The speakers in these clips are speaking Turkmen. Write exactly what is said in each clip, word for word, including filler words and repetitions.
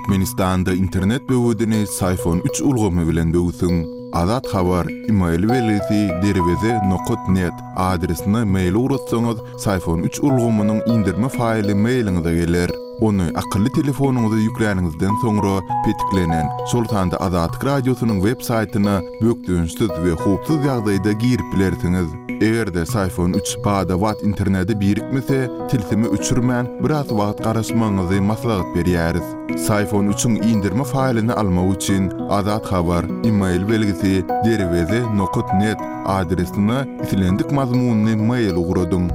Türkmenistanda internet böwedini Syfon üç ulgamy bilen böwsüň. Azat Habar, email belgisi derweze nokat net adresine mail ugratsaňyz, Syfon üç ulgamynyň indirme faýly mailiňize geler. Ony akylly telefonyňyza ýükläniňizden soňra petiklenen, şol sanda Azatlyk Radiosynyň web saýtyna bökdençsiz we howpsuz ýagdaýda girip bilersiňiz. Eger-de Syfon üç bada-bat internete birikmese, tilsimi öçürmän, biraz wagt garaşmagyňyzy maslahat berýäris. Syfon üçiň indirme faýlyny almak üçin Azat Habar, email belgisi derweze nokat net adresine islendik mazmunly mail ugradyň.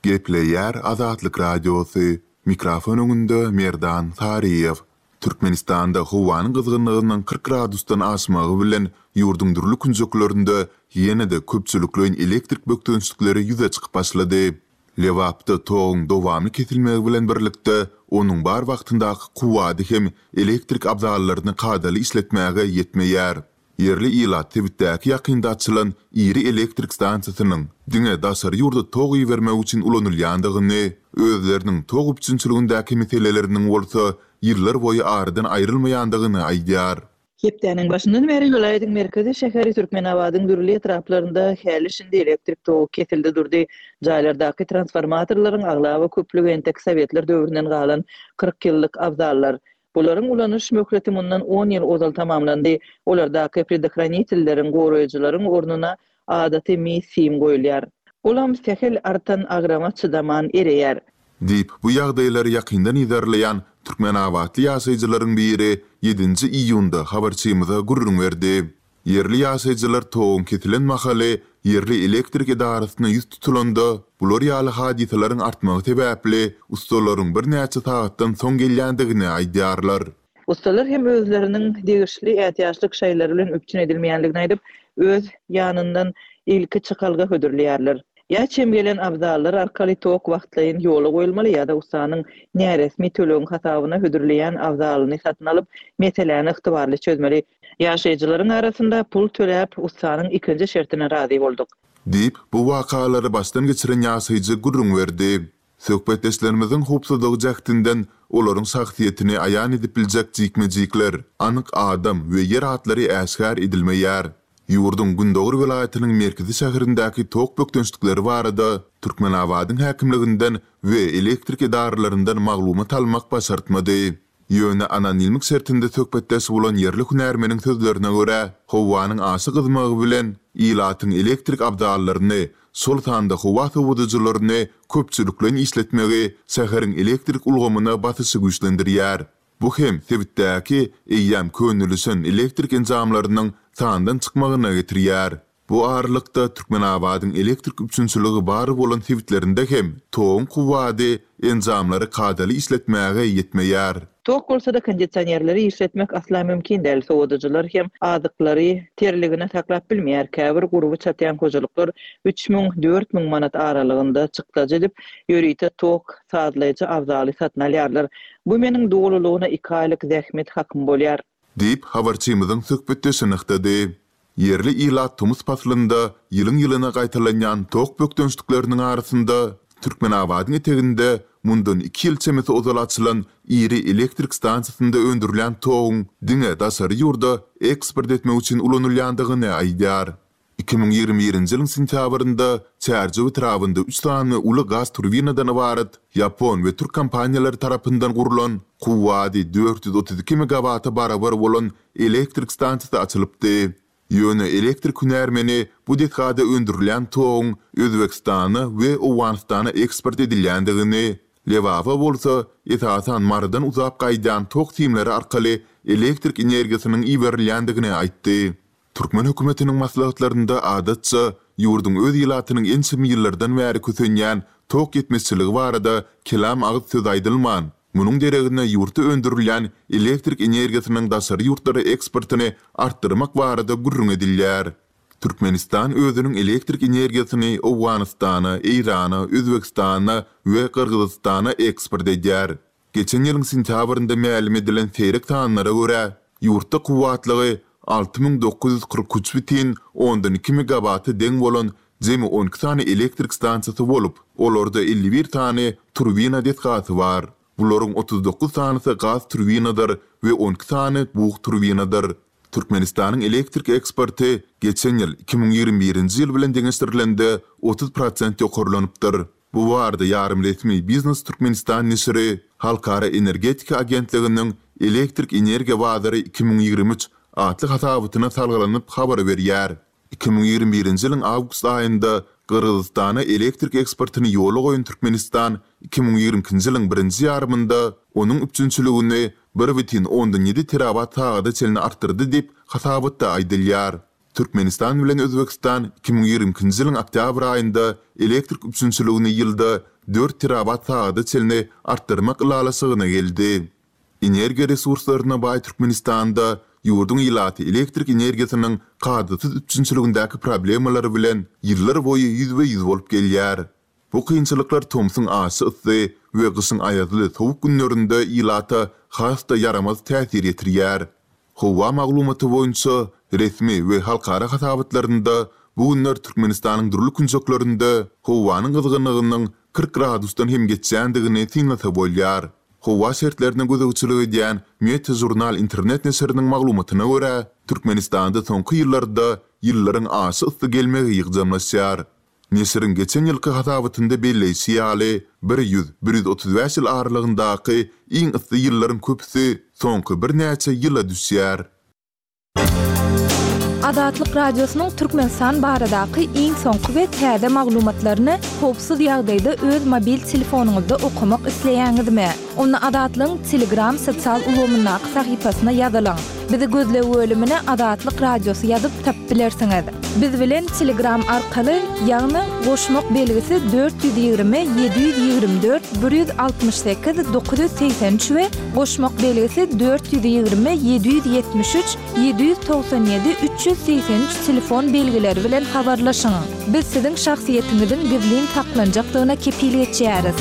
Gepleýär Azatlyk Radiosy. Mikrofon öňünde Merdan Saryýew. Türkmenistanda howanyň gyzgynlygynyň kyrk gradusdan aşmagy bilen ýurduň dürli künjeklerinde ýene-de köpçülikleýin elektrik bökdençlikleri ýüze çykyp başlady. Lebapda toguň dowamly kesilmegi bilen birlikde onuň bar wagtyndaky kuwwady hem elektrik abzallaryny kadaly işletmäge ýetmeýär. Ýerli ilat sebitdäki ýakynda açylan iri elektrik stansiýasynyň diňe daşary ýurda tok ibermek üçin ulanylýandygyny, özleriniň tok üpjünçiligindäki meseleleriniň bolsa ýyllar boýy aradan aýrylmaýandygyny aýdýar. Hepdäniň başyndan bäri welaýatyň merkezi şäheri Türkmenabadyň dürli etraplarynda häli-şindi elektrik togy kesildi durdy. Jaýlardaky transformatorlaryň aglaba köplügi entek Sowetler döwründen galan kyrk ýyllyk abzallar. Bularyň ulanyş möhleti mundan on ýyl ozal tamamlandy. Olardaky predохранitelleriň, goraýjylaryň ornuna adaty mis sim goýulýar. Olam sähel artan agrama çydaman ereýär. Diýip, bu ýagdaýlary ýakyndan yzarlaýan Türkmenabatly ýaşaýjylaryň biri ýedinji iýunda habarçymyza gürrüň berdi. Ýerli ýaşaýjylar toguň kesilen mahaly ýerli elektrik edarasyna ýüz tutulanda, bular ýaly hadysalaryň artmagy sebäpli ustalaryň birnäçe sagatdan soň gelýändigini aýdýarlar. Ustalar hem özleriniň degişli ätiýaçlyk şaýlary bilen üpjün edilmeýändigini aýdyp, öz ýanyndan ilki çykalga hödürleýärler. Ýa çem gelen abzallar arkaly tok wagtlaýyn ýola goýulmaly ýa-da ustanyň näresmi tölegiň hasabyna hödürleýän abzalyny satyn alyp, meseläni ygtybarly çözmeli. Ýaşaýjylaryň arasynda pul töläp, ustanyň ikinji şertine razy bolduk. Diýip, bu wakalary başdan geçiren ýaşaýjy gürrüň berdi. Söhbetdeşlerimiziň howpsuzlygy jähtinden olaryň şahsyýetini aýan edip biljek jikme-jikler, anyk adam we ýer atlary äşgär edilmeýär. Ýurduň Gündogar welaýatynyň merkezi şäherindäki tok bökdençlikleri barada Türkmenabadyň häkimliginden we elektrik edaralaryndan maglumat almak başartmady. Ýöne anonimlik şertinde söhbetdeş bolan ýerli hünärmeniň sözlerine görä, howanyň aşa gyzmagy bilen ilatyň elektrik abzallaryny, şol sanda howa sowadyjylaryny köpçülikleýin işletmegi şäheriň elektrik ulgamyna basyşy güýçlendirýär. Bu hem sebitdäki eýýäm könelişen elektrik enjamlarynyň sandan çykmagyna getirýär. Bu aralykda Türkmenabadyň elektrik üpjünçiligi bar bolan sebitlerinde hem toguň kuwwady enjamlary kadaly işletmäge ýetmeýär. Tok bolsa da kondisionerleri işletmek asla mümkin däl. Sowadyjylar hem azyklary terligine saklap bilmeýär. Käbir gurby çatýan hojalyklar üç müň, dört müň manat aralygynda çykdajy edip, ýörite tok sazlaýjy abzaly satyn alýarlar. Bu meniň dolulygyna iki aýlyk zähmet hakym bolýar. Diýip, habarçymyzyň söhbetdeşi nygtady. Ýerli ilat tomus paslynda ýylyň-ýylyna gaýtalanýan tok bökdençlikleriniň arasynda Türkmenabadyň eteginde mundan iki ýyl çemesi ozal açylan iri elektrik stansiýasynda öndürilýän toguň diňe daşary ýurda eksport etmek üçin ulanylýandygyny aýdýar. Iki müň ýigrimi birinji ýylyň sentýabrynda Çärjew etrabynda üç sany uly gaz turbinadan ybarat ýapon we türk kompaniýalary tarapyndan gurlan kuwwady dört ýüz otuz iki megawata barabar bolan elektrik stansiýasy açylypdy. Ýöne elektrik hünärmeni bu desgada öndürilýän toguň Özbegistana we Owganystana eksport edilýändigini, Lebaba bolsa esasan Marydan uzap gaýdýan tok simleri arkaly elektrik energiýasynyň iberilýändigini aýtdy. Türkmen hökümetiniň maslahatlarynda adatça ýurduň öz ilatynyň ençeme ýyllardan bäri kösenýän tok ýetmezçiligi barada kelam agyz söz aýdylman, munuň deregine ýurtda öndürilýän elektrik energiýasynyň daşary ýurtlara eksportyny artdyrmak barada gürrüň edilýär. Türkmenistan özüniň elektrik energiýasyny Owganystana, Eýrana, Özbegistana we Gyrgyzystana eksport edýär. Geçen ýylyň sentýabrynda mälim edilen seýrek sanlara görä, ýurtda kuwwatlygy alty müň dokuz ýüz kyrk üç bütin ondan iki megawata deň bolan jemi on iki sany elektrik stansiýasy bolup, olarda elli bir sany turbina desgasy bar. Bularyň otuz dokuz sanysy gaz turbinadyr we on iki sany bug turbinadyr. Türkmenistanyň elektrik eksporty geçen ýyl iki müň ýigrimi birinji ýyl bilen deňeşdirilende otuz prosent ýokarlanypdyr. Bu barada ýarym resmi Biznes Türkmenistan neşiri Halkara energetika agentliginiň Elektrik energiýa bazary iki müň ýigrimi üç atly hasabatyna salgylanyp habar berýär. Iki müň ýigrimi birinji ýylyň awgust aýynda Gyrgyzystana elektrik eksportyny ýola goýan Türkmenistan iki müň ýigrimi ikinji ýylyň birinji ýarymynda onuň üpjünçiligini bir bütin ondan ýedi terawatt sagada çenli artdyrdy diýip, hasabatda aýdylýar. Türkmenistan bilen Özbegistan iki müň ýigrimi ikinji ýylyň oktýabr aýynda elektrik üpjünçiligini ýylda dört terawatt sagada çenli artdyrmak ylalaşygyna geldi. Energiýa resurslaryna baý Türkmenistanda ýurduň ilaty elektrik energiýasynyň kadasyz üpjünçiligindäki problemalary bilen ýyllar boýy ýüzbe-ýüz bolup gelýär. Bu kynçylyklar tomsuň aşa yssy we gyşyň aýazly sowuk günlerinde ilata has-da ýaramaz täsir ýetirýär. Howa maglumaty boýunça resmi we halkara hasabatlarynda bu günler Türkmenistanyň dürli künjeklerinde howanyň gyzgynlygynyň kyrk gradusdan hem geçýändigini synlasa bolýar. Howa şertlerine gözegçilik edýän Meteožurnal internet neşiriniň maglumatyna görä, Türkmenistanda soňky ýyllarda ýyllaryň aşa yssy gelmegi ýygjamlaşýar. Neşiriň geçen ýylky hasabatynda belleýşi ýaly, bir ýüz, bir ýüz otuz bäş ýyl aralygyndaky iň yssy ýyllaryň köpüsi soňky birnäçe ýyla düşýär. Azatlyk Radiosynyň Türkmenistan baradaky iň soňky we täze maglumatlaryny howpsuz ýagdaýda öz mobil telefonyňyzda okamak isleýäňizmi? Onda Azatlygyň Telegram sosial ulgamyndaky sahypasyna ýazylyň. Bizi gözleg bölümine Azatlyk Radiosy ýazyp tapyp bilersiňiz. Biz bilen Telegram arkaly, ýagny goşmak belgisi dört ýüz ýigrimi, ýedi ýüz ýigrimi dört, bir ýüz altmyş sekiz, dokuz ýüz segsen üç we goşmak belgisi dört ýüz ýigrimi, ýedi ýüz ýetmiş üç, ýedi ýüz togsan ýedi, üç ýüz segsen üç telefon belgileri bilen habarlaşyň. Biz siziň şahsyýetiňiziň gizlin saklanjakdygyna kepil geçýäris.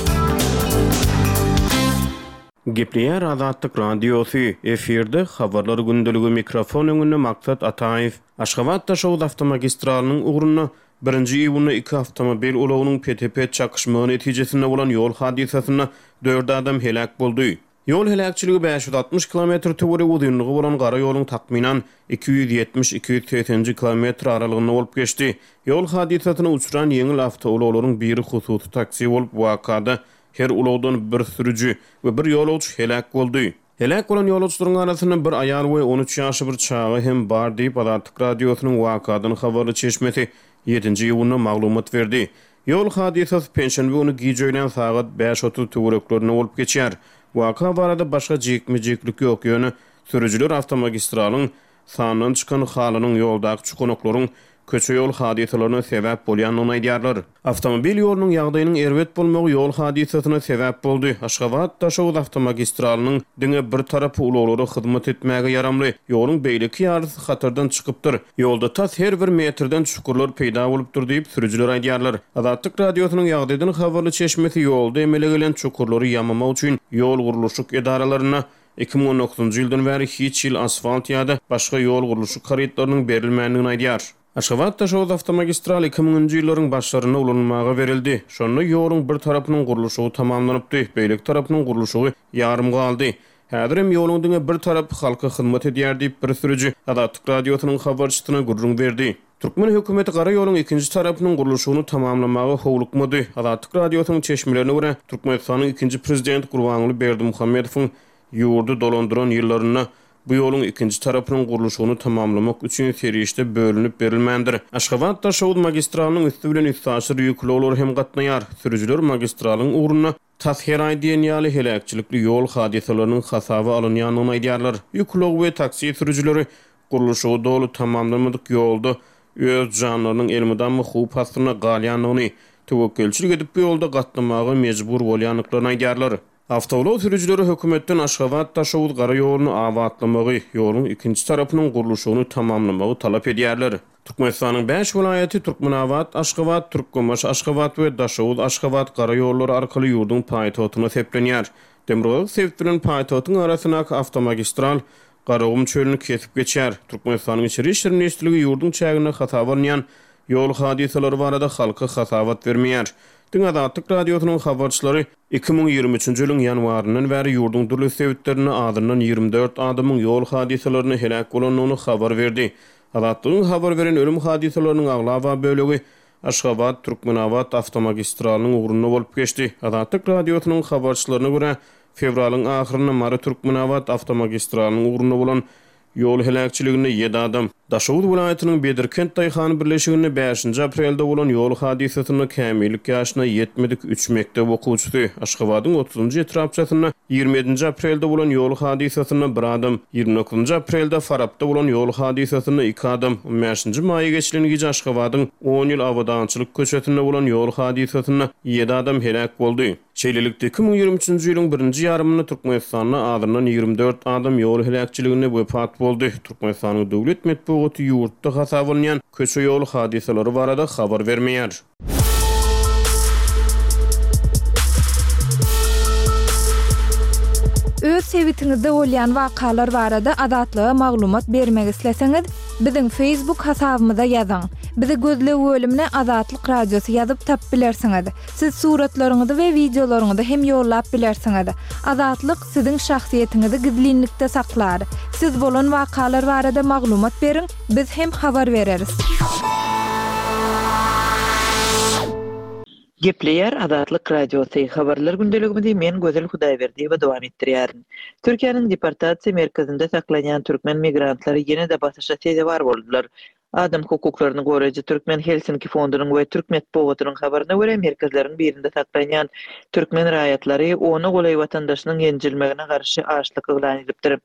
Gepleýär Azatlyk Radiosy, efirde habarlar gündeligi mikrofon öňünde Maksat Ataýew. Aşgabat Daşoguz awtomagistralynyň ugrunda birinji iýunda iki awtomobil ulagynyň pete-pet çakyşmagy netijesinde bolan ýol hadysasynda dört adam heläk boldy. Ýol heläkçiligi bäş ýüz altmyş kilometr töweregi uzynlygy bolan gara ýoluň takmynan iki ýüz ýetmiş iki ýüz segsenji kilometr aralygynda bolup geçdi. Ýol hadysasyna uçran ýeňil awtoulaglaryň biri hususy taksi bolup, wakada her ulagdan bir sürüji we bir ýolagçy heläk boldy. Heläk bolan ýolagçylaryň arasynda bir aýal we on üç ýaşly bir çaga hem bar diýip Azatlyk Radiosynyň wakadan habarly çeşmesi ýedinji iýunda maglumat berdi. Ýol hadysasy penşenbe güni gije öýlän sagat bäş otuz töwereklerinde bolup geçýär. Waka barada başga jikme-jiklik ýok, ýöne sürüjiler awtomagistralyň sandan çykan halynyň ýoldaky çukunoklaryň köçe ýol hadysalaryna sebäp bolýandygyny aýdýarlar. Awtomobil ýolunyň ýagdaýynyň erbet bolmagy ýol hadysasyna sebäp boldy. Aşgabat Daşoguz awtomagistralynyň diňe bir tarapy ulaglara hyzmat etmäge ýaramly, ýoluň beýleki ýarysy hatardan çykypdyr. Ýolda tas her bir metrden çukurlar peýda bolupdyr diýip sürüjiler aýdýarlar. Azatlyk Radiosynyň ýagdaýdan habarly çeşmesi ýolda emele gelen çukurlary ýamamak üçin ýol gurluşyk edaralaryna iki müň on dokuzynjy ýyldan bäri hiç ýyl asfalt ýa-da başga ýol gurluşyk harytlarynyň berilmändigini aýdýar. Aşgabat Daşoguz awtomagistral iki müňünji ýyllaryň başlarynda ulanylmaga berildi. Şonda ýoluň bir tarapynyň gurluşygy tamamlanypdy, beýleki tarapynyň gurluşygy ýarym galdy. Häzir hem ýoluň diňe bir tarapy halka hyzmat edýär diýip bir sürüji Azatlyk Radiosynyň habarçysyna gürrüň berdi. Türkmen hökümeti gara ýoluň ikinji tarapynyň gurluşygyny tamamlamaga howlukmady. Azatlyk Radiosynyň çeşmelerine görä, Türkmenistanyň ikinji prezidenti Gurbanguly Berdimuhamedowyň ýurdy dolandyran ýyllarynda bu ýoluň ikinji tarapynyň gurluşygyny tamamlamak üçin serişde bölünip berilmändir. Aşgabat Daşoguz magistralynyň üstü bilen üstaşyr ýükli ulaglar hem gatnaýar. Sürüjiler magistralyň ugrunda tas her aý diýen ýaly heläkçilikli ýol hadysalarynyň hasaba alynýandygyny aýdýarlar. Ýük ulagy we taksi sürüjileri gurluşygy doly tamamlamadyk ýolda öz janlarynyň elmydama howp astynda galýandygyny, töwekgelçilik edip bu ýolda gatnamaga mejbur bolýandyklaryny aýdýarlar. Awtoulag sürüjileri hökümetden Aşgabat Daşoguz gara ýoluny abatlamagy, ýoluň ikinji tarapynyň gurluşygyny tamamlamagy talap edýärler. Türkmenistanyň bäş welaýaty Türkmenabat, Aşgabat, Türkmenbaşy, Aşgabat we Daşoguz, Aşgabat gara ýollary arkaly ýurduň paýtagtyna seplenýär. Demirgazyk sebit bilen paýtagtyň arasyndaky awtomagistral Garagum çölüni kesip geçýär. Türkmenistanyň İçeri İşler Ministrligi ýurduň çäginde hasaba alynýan ýol hadysalary barada halka hasabat bermeýär. Diňe Azatlyk Radiosynyň habarçylary iki müň ýigrimi üçünji ýylyň ýanwaryndan bäri ýurduň dürli sebitlerinde azyndan ýigrimi dört adamyň ýol hadysalarynda heläk bolandygyny habar berdi. Azatlygyň habar beren ölüm hadysalarynyň aglaba bölegi Aşgabat, Türkmenabat awtomagistralynyň ugrunda bolup geçdi. Azatlyk Radiosynyň habarçylaryna görä, fewralyň ahyrynda Mary, Türkmenabat awtomagistralynyň ugrunda bolan ýol heläkçiliginde ýedi adam, Daşoguz welaýatynyň Bedirkent daýhan birleşiginde bäşinji aprelde bolan ýol hadysasynda kämillik ýaşyna ýetmedik üç mekdep okuwçysy, Aşgabadyň otuzynjy etrapçasynda ýigrimi ýedinji aprelde bolan ýol hadysasynda bir adam, ýigrimi dokuzynjy aprelde Farapda bolan ýol hadysasynda iki adam, on bäşinji maýa geçilen gije Aşgabadyň on ýyl Abadançylyk köçesinde bolan ýol hadysasynda ýedi adam heläk boldy. Şeýlelikde, iki müň ýigrimi üçünji ýylyň birinji ýarymynda Türkmenistanda azyndan ýigrimi dört adam ýol heläkçiliginde wepat boldy. Türkmenistanyň döwlet metbugaty ýurtda hasaba alynýan köçe ýol hadysalary barada habar bermeýär. Öz sebitiňizde bolýan wakalar barada Azatlyga maglumat bermek isleseňiz, biziň Facebook hasabymyza ýazyň. Bizi gözleg bölümine Azatlyk Radiosy ýazyp tap bilersiňiz. Siz suratlaryňyzy we wideolaryňyzy hem ýollap bilersiňiz. Azatlyk siziň şahsyýetiňizi gizlinlikde saklar. Siz bolan wakalar barada maglumat beriň, biz hem habar bereris. Gepleýär Azatlyk Radiosy. Habarlar gündeligimizi men Gözel Hudaýberdiýewa dowam etdirýärin. Türkiýäniň deportasiýa merkezinde saklanýan türkmen migrantlary ýene-de basyşa sezewar boldular. Adam hukuklaryny goraýjy Türkmen Helsinki fondunyň we Türk metbugatynyň habaryna görä merkezleriň birinde saklanýan türkmen raýatlary ona golaý watandaşynyň ýenjilmegine garşy açlyk yglan edipdir.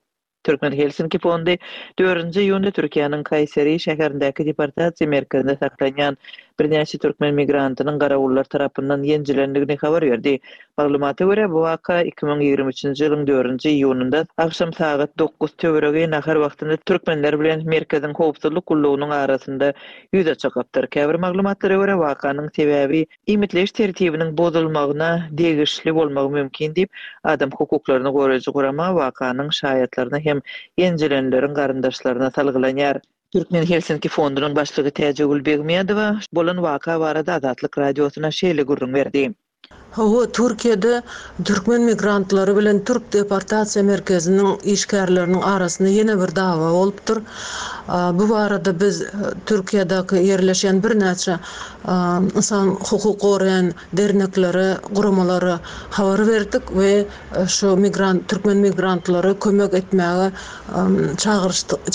Türkmen Helsinki fondy dördünji iýunda Türkiýäniň Kayseri şäherindäki deportasiýa merkezinde saklanýan birnäçe türkmen migrantynyň garawullar tarapyndan ýenjilendigini habar berdi. Maglumata görä, bu waka iki müň ýigrimi üçünji ýylyň dördünji iýunynda agşam sagat dokuz töweregi nahar wagtynda türkmenler bilen merkeziň howpsuzlyk gullugynyň arasynda ýüze çykypdyr. Käbir maglumatlara görä, wakanyň sebäbi iýmitleýiş tertibiniň bozulmagyna degişli bolmagy mümkin diýip, adam hukuklaryny goraýjy gurama wakanyň şaýatlaryna hem ýenjilenleriň garyndaşlaryna salgylanýar. Türkmen Helsinki fondunyň başlygy Täjigül Begmedowa bolan waka barada Azatlyk Radiosyna şeýle gürrüň berdi. Hawa, Türkiýede türkmen migrantlary bilen Türk deportasiýa merkeziniň işgärleriniň arasynda ýene bir dawa bolupdyr. Bu barada biz Türkiýedäki ýerleşen birnäçe insan hukuk goraýan derneklere, guramalara habar berdik we şu migrant, türkmen migrantlary kömek etmäge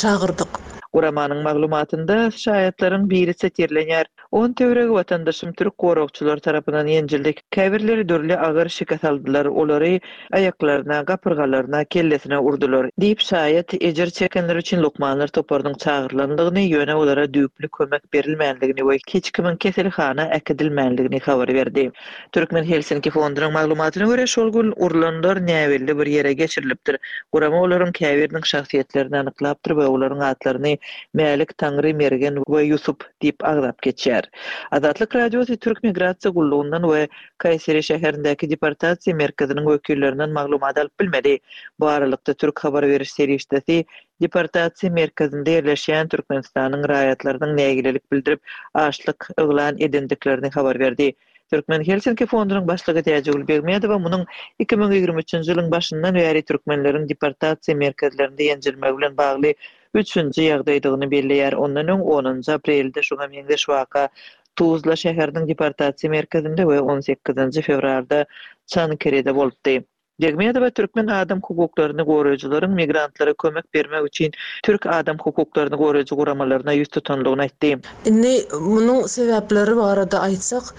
çagyrdyk. Guramanyň maglumatynda şaýatlaryň biri setirlenýär. On töweregi watandaşym türk goragçylar tarapyndan ýenjildi. Käbirleri dürli agyr şikes aldylar, olary aýaklaryna, gapyrgalaryna, kellesine urdular diýip şaýat ejir çekenler üçin lukmanlar toparynyň çagyrylandygyny, ýöne olara düýpli kömek berilmändigini we hiç kimiň keselhana äkidilmändigini habar berdi. Türkmen Helsinki fondunyň maglumatyna görä, şol gün urlanlar näbelli bir ýere geçirilipdir. Gurama olaryň käbiriniň şahsyýetlerini anyklapdyr we olaryň atlaryny Mälik, Taňry, Mergen we Ýusup diýip agzap geçýär. Azatlyk Radiosy Türk Migrasiýa gullugyndan we Kayseri şäherindäki deportasiýa merkeziniň wekillerinden maglumat alyp bilmedi. Bu aralykda Türk habar beriş serişdesi deportasiýa merkezinde ýerleşýän Türkmenistanyň raýatlarynyň nägilelik bildirip açlyk yglan edendiklerini habar berdi. Türkmen Helsinki fondunyň başlygy Täjigül Begmedowa munuň iki müň ýigrimi üçünji ýylyň başyndan bäri türkmenleriň deportasiýa merkezlerinde ýenjilmegi bilen bagly üçünji ýagdaýdygyny belleýär. Ondan öň onunjy aprelde şuňa meňzeş waka Tuzla şäheriniň deportasiýa merkezinde we on sekizinji fewralda Çankirede bolupdy. Begmedowa türkmen adam hukuklaryny goraýjylaryň migrantlara kömek bermek üçin türk adam hukuklaryny goraýjy guramalaryna ýüz tutanlygyny aýtdy. Indi munuň sebäpleri barada aýtsak,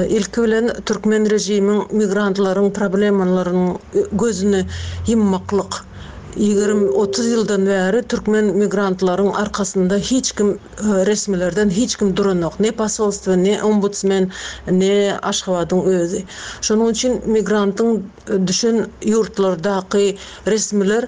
ilki bilen türkmen režimiň migrantlaryň problemalarynyň gözüni ýummaklyk. Ýigrimi otuz ýyldan bäri türkmen migrantlaryň arkasynda hiç kim, resmilerden hiç kim duranok. Ne posolstvo, ne ombudsmen, ne Aşgabadyň özi. Şonuň üçin migrantyň düşen ýurtlardaky resmiler,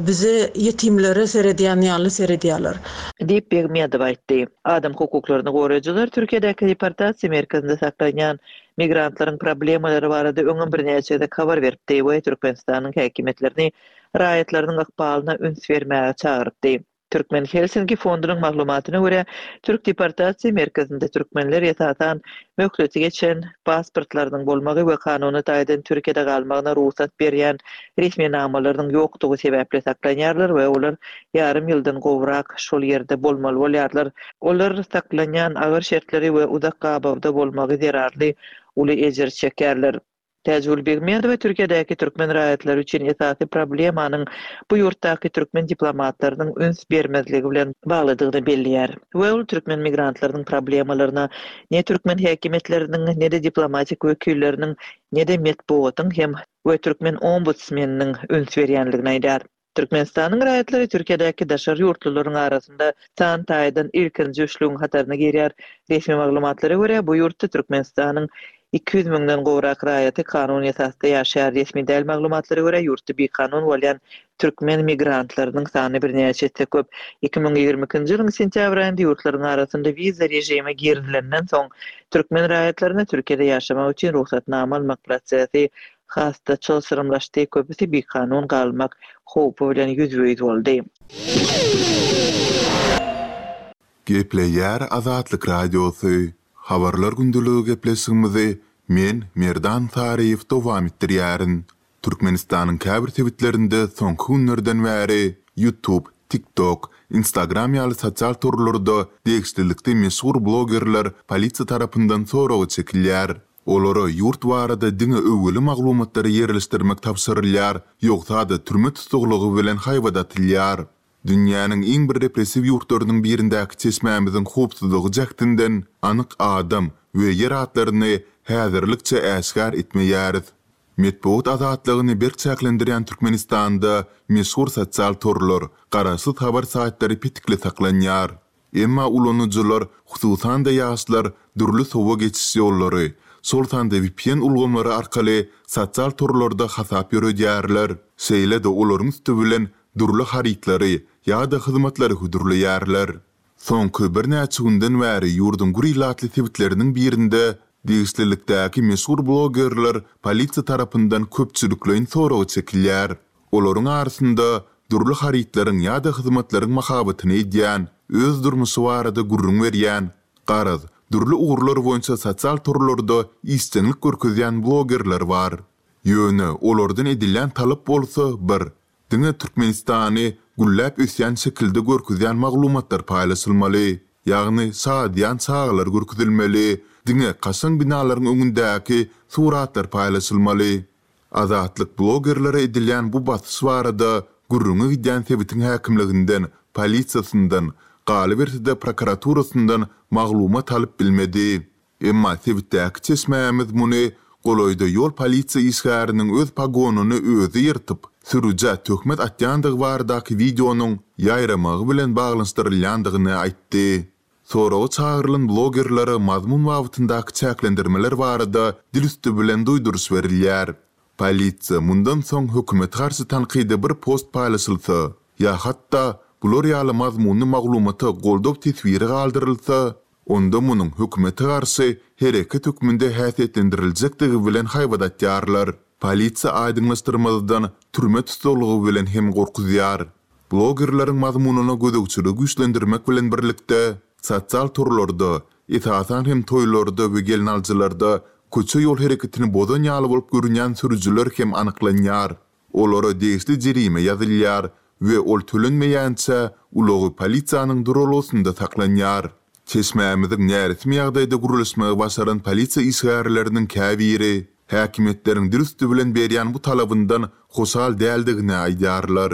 bize ýetimlere seredýän ýaly seredýärler. Diýip Begmedowa aýtdy. Adam hukuklaryny goraýjylar Türkiýedäki deportasiýa merkezinde saklanýan migrantlaryň problemalary barada öňem birnäçe gezek habar beripdi we Türkmenistanyň häkimiýetlerini raýatlarynyň ykbalyna üns bermäge çagyrypdy. Türkmen Helsinki fondunyň maglumatyna görä, Türk deportasiýa merkezinde türkmenler esasan möhleti geçen pasportlarynyň bolmagy we kanuny taýdan Türkiýede galmagyna rugsat berýän resminamalarynyň ýokdugy sebäpli saklanýarlar we olar ýarym ýyldan gowrak şol ýerde bolmaly bolýarlar. Olar saklanýan agyr şertleri we uzak gabawda bolmagy zerarly uly ejir çekýärler. Täjigül Begmedowa Türkiýedäki türkmen raýatlary üçin esasy problemanyň bu ýurtdaky türkmen diplomatlarynyň üns bermezligi bilen baglydygyny belleýär we ol türkmen migrantlarynyň problemalaryna ne türkmen häkimiýetleriniň, ne-de diplomatik wekilleriniň, ne-de metbugatyň hem we türkmen ombudsmeniniň üns berýänligini aýdýar. Türkmenistanyň raýatlary Türkiýedäki daşary ýurtlularyň arasynda san taýdan ilkinji üçlügiň hataryna girýär. Resmi maglumatlara görä, bu ýurtda Türkmenistanyň iki ýüz müňden gowrak raýaty kanun esasda ýaşaýar. Resmi däl maglumatlara görä, ýurtda bikanun bolýan türkmen migrantlarynyň sany birnäçe esse köp. Iki müň ýigrimi ikinji ýylyň sentýabr aýynda ýurtlaryň arasynda wiza režimi girizilenden soň, türkmen raýatlaryna Türkiýede ýaşamak üçin rugsatnama almak prosesi has-da çylşyrymlaşdy, köpüsi bikanun galmak howpy bilen ýüzbe-ýüz boldy. Gepleýär Azatlyk Radiosy, Habarlar gündeligi gepleşigimizi men, Merdan Saryýew dowam etdirýärin. Türkmenistanyň käbir sebitlerinde soňky günlerden bäri YouTube, TikTok, Instagram ýaly sosial torlarda degişlilikde meşhur blogerler polisiýa tarapyndan soraga çekilýär. Olara ýurt barada diňe öwgüli maglumatlary ýerleşdirmek tabşyrylýar, ýogsa-da türme tussaglygy bilen haýbat atylýar. Dünýäniň iň bir repressiw ýurtlarynyň birindäki çeşmämiziň howpsuzlygy jähtinden anyk adam we ýer atlaryny häzirlikçe äşgär etmeýäris. Metbugat azatlygyny berk çäklendirýän Türkmenistanda meşhur sosial torlar, garaşsyz habar saýtlary petikli saklanýar. Emma ulanyjylar, hususan-da ýaşlar dürli sowa geçiş ýollary, şol sanda V P N ulgamlary arkaly sosial torlarda hasap ýöredýärler, şeýle-de olaryň üsti bilen dürli harytlary ýa-da hyzmatlary hödürleýärler. Soňky birnäçe günden bäri ýurduň gür ilatly sebitleriniň birinde degişlilikdäki meşhur blogerler polisiýa tarapyndan köpçülikleýin soraga çekilýär. Olaryň arasynda dürli harytlaryň ýa-da hyzmatlaryň mahabatyny edýän, öz durmuşy barada gürrüň berýän, garaz, dürli ugurlar boýunça sosial torlarda işjeňlik görkezýän blogerler bar. Ýöne olardan edilýän talap bolsa bir, diňe Türkmenistany gülläp ösýän şekilde görkezýän maglumatlar paýlaşylmaly, ýagny şadyýan çagalar görkezilmeli, diňe kaşaň binalaryň öňündäki suratlar paýlaşylmaly. Azatlyk blogerlere edilýän bu basyş barada gürrüňi gidýän sebitiň häkimliginden, polisiýasyndan, galyberse-de prokuraturasyndan maglumat alyp bilmedi. Emma sebitdäki çeşmämiz muny golaýda ýol polisiýa işgäriniň öz pogonyny özi ýyrtyp, sürüjä töhmet atýandygy baradaky wideonyň ýaýramagy bilen baglanyşdyrylýandygyny aýtdy. Soraga çagyrylan blogerlere mazmun babatyndaky çäklendirmeler barada dil üsti bilen duýduryş berilýär. Polisiýa mundan soň hökümete garşy tankydy bir post paýlaşylsa ýa hatda bular ýaly mazmunly maglumata goldaw teswiri galdyrylsa, onda munuň hökümete garşy hereket hökmünde häsiýetlendiriljekdigi bilen haýbat atýarlar. Polisiýa aýdyňlaşdyrmazdan türme tussaglygy bilen hem gorkuzýar. Blogerleriň mazmunyna gözegçiligi güýçlendirmek bilen birlikde, sosial torlarda, esasan hem toýlarda we gelnaljylarda köçe ýol hereketini bozan ýaly bolup görünýän sürüjiler hem anyklanýar. Olara degişli jerime ýazylýar we ol tölenmeýänçä ulagy polisiýanyň duralgasynda saklanýar. Çeşmämiziň näresmi ýagdaýda gürleşmegi başaran polisiýa işgärleriniň käbiri häkimiýetleriň dil üsti bilen berýän bu talabyndan hoşal däldigini aýdýarlar.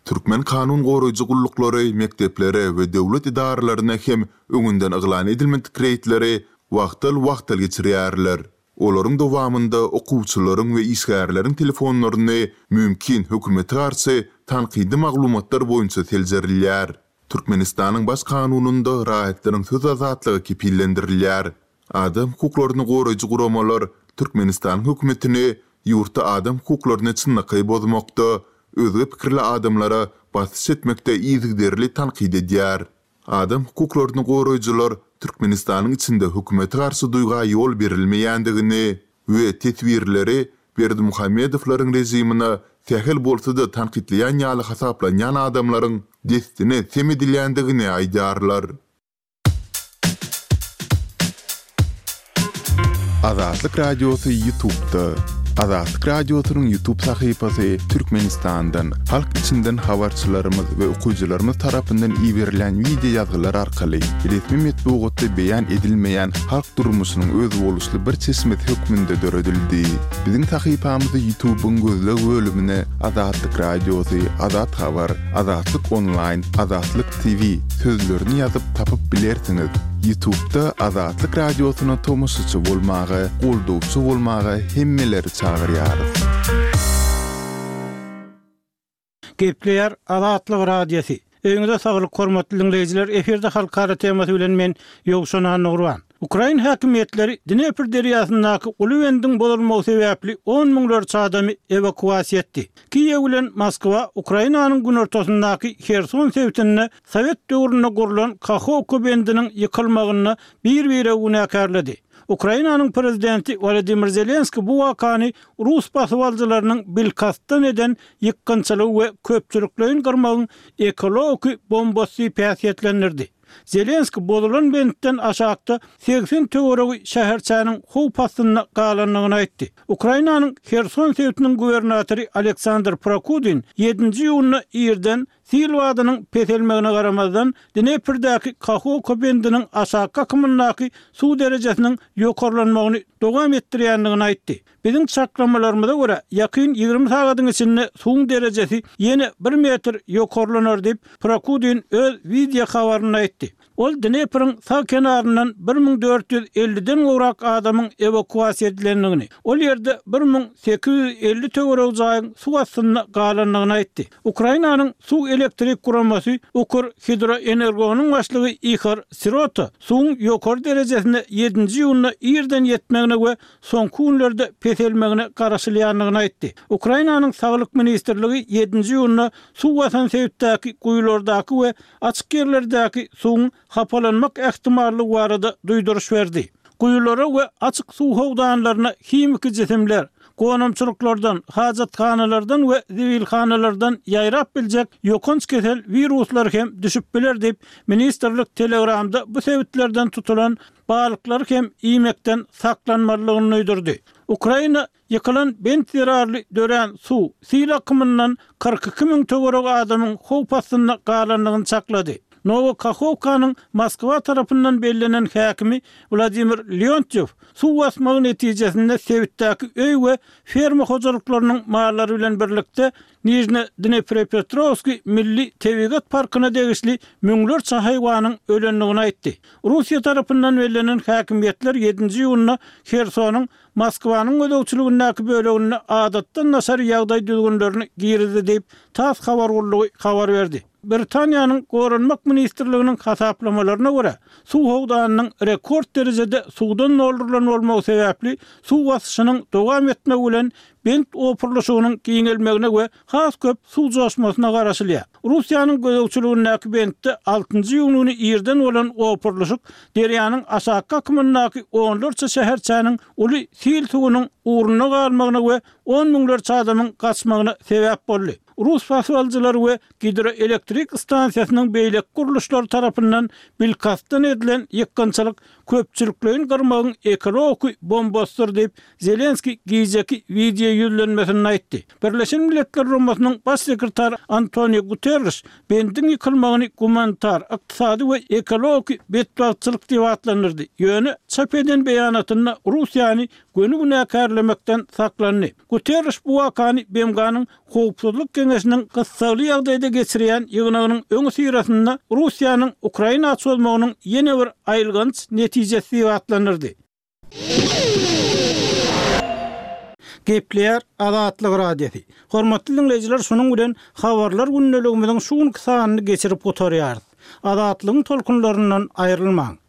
Türkmen kanun goraýjy gulluklary mekdeplere we döwlet edaralaryna hem öňünden yglan edilmedik reýdleri wagtal-wagtal geçirýärler. Olaryň dowamynda okuwçylaryň we işgärleriň telefonlaryny mümkin hökümete garşy tankydy maglumatlar boýunça seljerilýär. Türkmenistanyň Baş kanunynda raýatlaryň söz azatlygy kepillendirilýär. Adam hukuklaryny goraýjy guramalar Türkmenistanyň hökümetini ýurtda adam hukuklaryny çynlakaý bozmakda, özge pikirli adamlara basyş etmekde yzygiderli tankyt edýär. Adam hukuklaryny goraýjylar Türkmenistanyň içinde hökümete garşy duýga ýol berilmeýändigini we teswirleri Berdimuhamedowlaryň režimine sähel bolsa-da tankytlaýan ýaly hasaplanýan adamlaryň dessine sem edilýändigini aýdýarlar. Azatlyk Radiosy YouTube'da. Azatlyk Radiosynyň YouTube sahypasy Türkmenistandan, halk içinden habarçylarymyz we okyjylarymyz tarapyndan iberilen wideo ýazgylar arkaly resmi metbugatda beýan edilmeýän halk durmuşynyň özboluşly bir çeşmesi hökmünde döredildi. Biziň sahypamyzy YouTube'yň gözleg bölümine Azatlyk Radiosy, Azat Habar, Azatlyk Online, Azatlyk T V sözlerini ýazyp tapyp bilersiňiz. YouTube'da Azatlyk Radiosyna tomaşaçy bolmaga, goldawçy bolmaga hemmeleri çagyrýarys. Gepleýär Azatlyk Radiosy. Öýüňize saglyk hormatly dinleýjiler, efirde halkara temasy bilen men Ýowşan Annagurban. Ukrain häkimiýetleri Dnepr derýasyndaky uly bendiň bozulmagy sebäpli on müňlerçe adamy ewakuasiýa etdi. Kiýew bilen Moskwa Ukrainanyň günortasyndaky Herson sebitinde Sowet döwründe gurlan Kahovka bendiniň ýykylmagyny bir-bire günäkärledi. Ukrainanyň prezidenti Wladimir Zelenski bu wakany Rus basybalyjylarynyň bilkastdan eden ýykgynçylygy we köpçülikleýin gyrmagyň ekologik bombasy päsgetlendirdi. Zelenski bozulan bentden aşakda seksen töweregi şäherçäniň howp astynda galandygyny aýtdy. Ukrainanyň Herson sebitiniň gubernatory Aleksandr Prokudin ýedinji iýunda irden sil badynyň peselmegine garamazdan Dneprdäki Kahovka bendiniň aşaky akymyndaky suw derejesiniň ýokarlanmagyny dowam etdirýändigini aýtdy. Biziň çaklamalarymyza görä ýakyn ýigrimi sagadyň içinde suwuň derejesi ýene bir metr ýokarlanar diýip Prokudin öz wideo habarynda aýtdy. Ol Dnepriň sag kenaryndan bir müň dört ýüz elliden gowrak adamyň ewakuasiýa edilendigini, ol ýerde bir müň sekiz ýüz elli töweregi jaýyň suw astynda galandygyny aýtdy. Ukrainanyň suw elektrik guramasy Ukr Hidroenergonyň başlygy Ihor Sirota suwuň ýokary derejesine ýedinji iýunda irden ýetmegine we soňky günlerde peselmegine garaşylýandygyny aýtdy. Ukrainanyň Saglyk ministrligi ýedinji iýunda suw basan sebitdäki guýulardaky we açyk ýerlerdäki suwuň hapalanmak ähtimallygy barada duýduryş berdi. Guýulara we açyk suw howdanlaryna himiki jisimler, gonamçylyklardan, hajathanalardan we zibilhanalardan ýaýrap biljek ýokanç kesel wiruslar hem düşüp biler diýip, ministrlik Telegramda bu sebitlerden tutulan balyklar hem iýmekden saklanmalydygyny duýdurdy. Ukraina ýykylan bent zerarly dörän suw sil akymyndan kyrk iki müň töweregi adamyň howp astynda galandygyny çaklady. Nowokahovkanyň Moskwa tarapyndan bellenen häkimi Wladimir Leontyew suw basmagy netijesinde sebitdäki öý we ferma hojalyklarynyň mallary bilen birlikde Nijne Dnepropetrowski Milli Tebigat Parkyna degişli müňlerçe haýwanyň ölendigini aýtdy. Russiýa tarapyndan bellenen häkimiýetler ýedinji iýunda Hersonyň Moskwanyň gözegçiligindäki böleginde adatdan daşary ýagdaý düzgünlerini girizdi diýip, TASS habar gullugy habar berdi. Britaniýanyň Goranmak ministrliginiň hasaplamalaryna görä, suw howdanynyň rekord derejede suwdan doldurylan bolmagy sebäpli suw basyşynyň dowam etmegi bilen bent opurlyşygynyň giňelmegine we has köp suw joşmasyna garaşylýar. Russiýanyň gözegçiligindäki bentde altynjy iýun güni irden bolan opurlyşyk derýanyň aşaky akymyndaky onlarça şäherçäniň uly sil suwunyň ugruna galmagyna we on müňlerçe adamyň gaçmagyna sebäp boldy. Rus basybalyjylary we gidroelektrik stansiýasynyň beýleki gurluşlary tarapyndan bilkastdan edilen ýykgynçylyk köpçülikleýin gyrmagyň ekologik bombasydyr diýip, Zelenski gijeki wideo ýüzlenmesinde aýtdy. Birleşen Milletler Guramasynyň baş sekretary Antonio Guterres bendiň ýykylmagyny gumanitar, ykdysady we ekologik betbagtçylyk diýip atlandyrdy. Ýöne çap eden beýanatynda Russiýany göni günäkärlemekden saklandy. Guterres bu wakany B M G-nyň Howpsuzlyk Geňeşiniň gyssagly ýagdaýda geçirýän ýygnagynyň öňi syrasynda Russiýanyň Ukraina çozmagynyň ýene bir aýylganç netijesi diýip atlandyrdy. Gepleýär Azatlyk Radiosy. Hormatly dinleýjiler, şunuň bilen habarlar gündeligimiziň şu günki sanyny geçirip gutarýarys. Azatlygyň tolkunlaryndan aýrylmaň.